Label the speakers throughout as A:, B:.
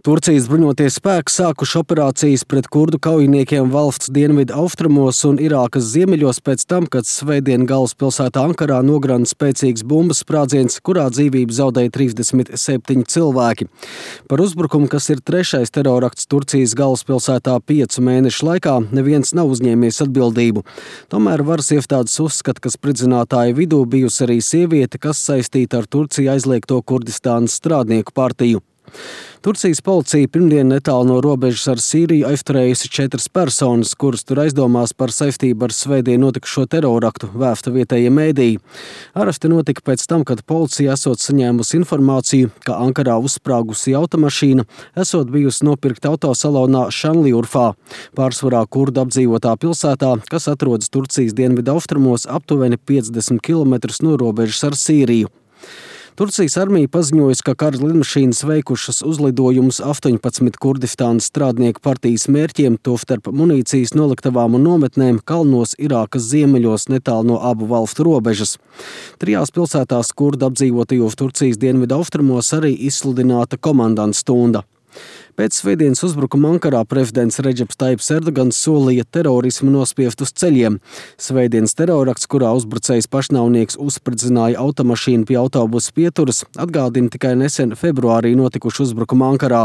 A: Turcijas bruņotie spēki sākuši operācijas pret kurdu kaujiniekiem valsts dienvidu austrumos un Irākas ziemeļos pēc tam, kad svētdien galvaspilsētā Ankarā nograna spēcīgs bumbas sprādziens, kurā dzīvību zaudēja 37 cilvēki. Par uzbrukumu, kas ir trešais terorakts Turcijas galvaspilsētā 5 mēnešu laikā, neviens nav uzņēmies atbildību. Tomēr varas iestādes uzskata, ka spridzinātāju vidū bijusi arī sieviete, kas saistīta ar Turciju aizliegto Kurdistānas strādnieku partiju. Turcijas policija pirmdien netālu no robežas ar Sīriju aizturējusi 4 personas, kuras tur aizdomās par saistību ar svētdien notikušo teroraktu, vēsta vietējie mēdīji. Aresti notika pēc tam, kad policija esot saņēmusi informāciju, ka Ankarā uzsprāgusi automašīna esot bijusi nopirkta autosalonā Šanliurfā, pārsvarā kurdu apdzīvotā pilsētā, kas atrodas Turcijas dienvidu austrumos aptuveni 50 km no robežas ar Sīriju. Turcijas armija paziņojusi, ka kara lidmašīnas veikušas uzlidojumus 18 Kurdistānas strādnieku partijas mērķiem, tostarp munīcijas noliktavām un nometnēm kalnos Irākas ziemeļos netālu no abu valstu robežas. 3 pilsētās kurdu apdzīvotajos Turcijas dienvidu austrumos arī izsludināta komandanta stunda. Pēc svētdienas uzbrukuma Ankarā prezidents Redžeps Taips Erdogans solīja terorismu nospiest uz ceļiem. Svētdienas terorakts, kurā uzbrucējs pašnāvnieks uzspridzināja automašīnu pie autobusa pieturas, atgādina tikai nesen februārī notikušu uzbrukumu Ankarā.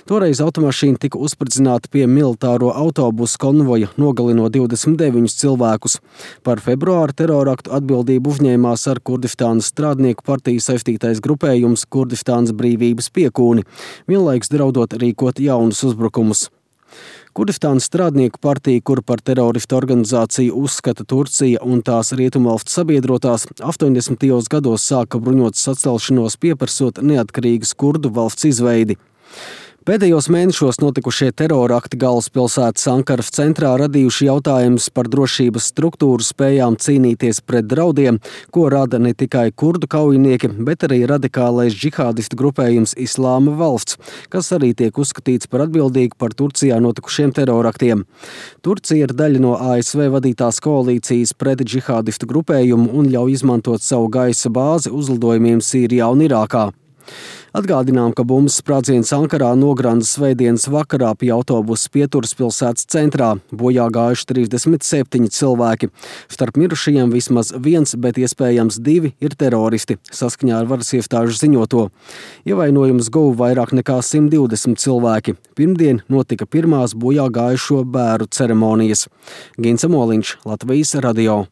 A: Toreiz automašīna tika uzspridzināta pie militāro autobusu konvoja, nogalinot 29 cilvēkus. Par februāra teroraktu atbildību uzņēmās ar Kurdistānas strādnieku partiju saistītais grupējums Kurdistānas brīvības piekūni, vienlaikus draudot rīkot jaunus uzbrukumus. Kurdistānas strādnieku partija, kuru par teroristu organizāciju uzskata Turcija un tās rietumvalstu sabiedrotās, 80. gados sāka bruņotas sacelšanos, pieprasot neatkarīgas kurdu valsts izveidi. Pēdējos mēnešos notikušie terorakti galvaspilsētas Ankaras centrā radījuši jautājumus par drošības struktūru spējām cīnīties pret draudiem, ko rada ne tikai kurdu kaujinieki, bet arī radikālais džihādistu grupējums Islāma valsts, kas arī tiek uzskatīts par atbildīgu par Turcijā notikušiem teroraktiem. Turcija ir daļa no ASV vadītās koalīcijas pret džihādistu grupējumu un ļauj izmantot savu gaisa bāzi uzlidojumiem Sīrijā un Irākā. Atgādinām, ka bumbas sprādziens Ankarā nogranda svētdienas vakarā pie autobusa pieturas pilsētas centrā. Bojā gājuši 37 cilvēki. Starp mirušajiem vismaz 1, bet iespējams 2 ir teroristi, saskaņā ar varas iestāžu ziņoto. Ievainojumus guva vairāk nekā 120 cilvēki. Pirmdien notika pirmās bojā gājušo bēru ceremonijas. Gins Amoliņš, Latvijas radio.